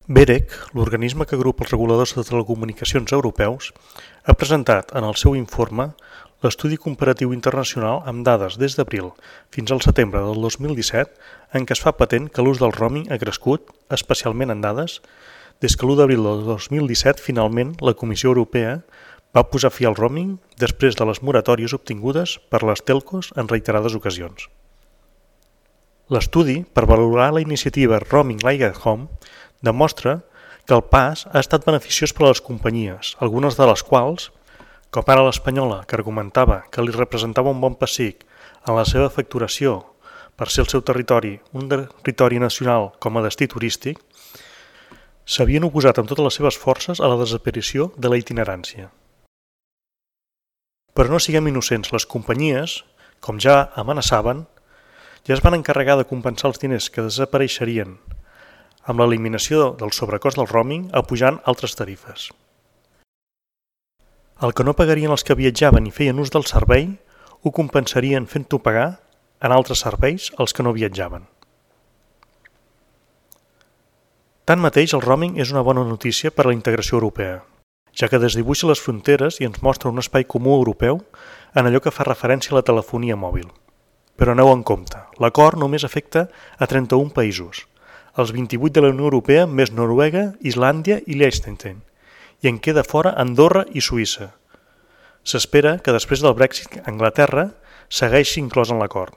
BEREC, l'organisme que agrupa els reguladors de telecomunicacions europeus, ha presentat en el seu informe l'estudi comparatiu internacional amb dades des d'abril fins al setembre del 2017 en què es fa patent que l'ús del roaming ha crescut, especialment en dades, des que l'1 d'abril del 2017 finalment la Comissió Europea va posar fi al roaming després de les moratòries obtingudes per les telcos en reiterades ocasions. L'estudi, per valorar la iniciativa Roaming Like at Home, demostra que el pas ha estat beneficiós per a les companyies, algunes de les quals, com ara l'espanyola, que argumentava que li representava un bon pessic en la seva facturació per ser el seu territori un territori nacional com a destí turístic, s'havien oposat amb totes les seves forces a la desaparició de la itinerància. Però no siguem innocents, les companyies, com ja amenaçaven, ja es van encarregar de compensar els diners que desapareixerien amb l'eliminació del sobrecost del roaming apujant altres tarifes. El que no pagarien els que viatjaven i feien ús del servei ho compensarien fent-ho pagar en altres serveis als que no viatjaven. Tanmateix, el roaming és una bona notícia per a la integració europea, ja que desdibuixa les fronteres i ens mostra un espai comú europeu en allò que fa referència a la telefonia mòbil. Però aneu en compte, l'acord només afecta a 31 països, els 28 de la Unió Europea més Noruega, Islàndia i Liechtenstein, i en queda fora Andorra i Suïssa. S'espera que després del Brexit Anglaterra segueixi inclòs en l'acord.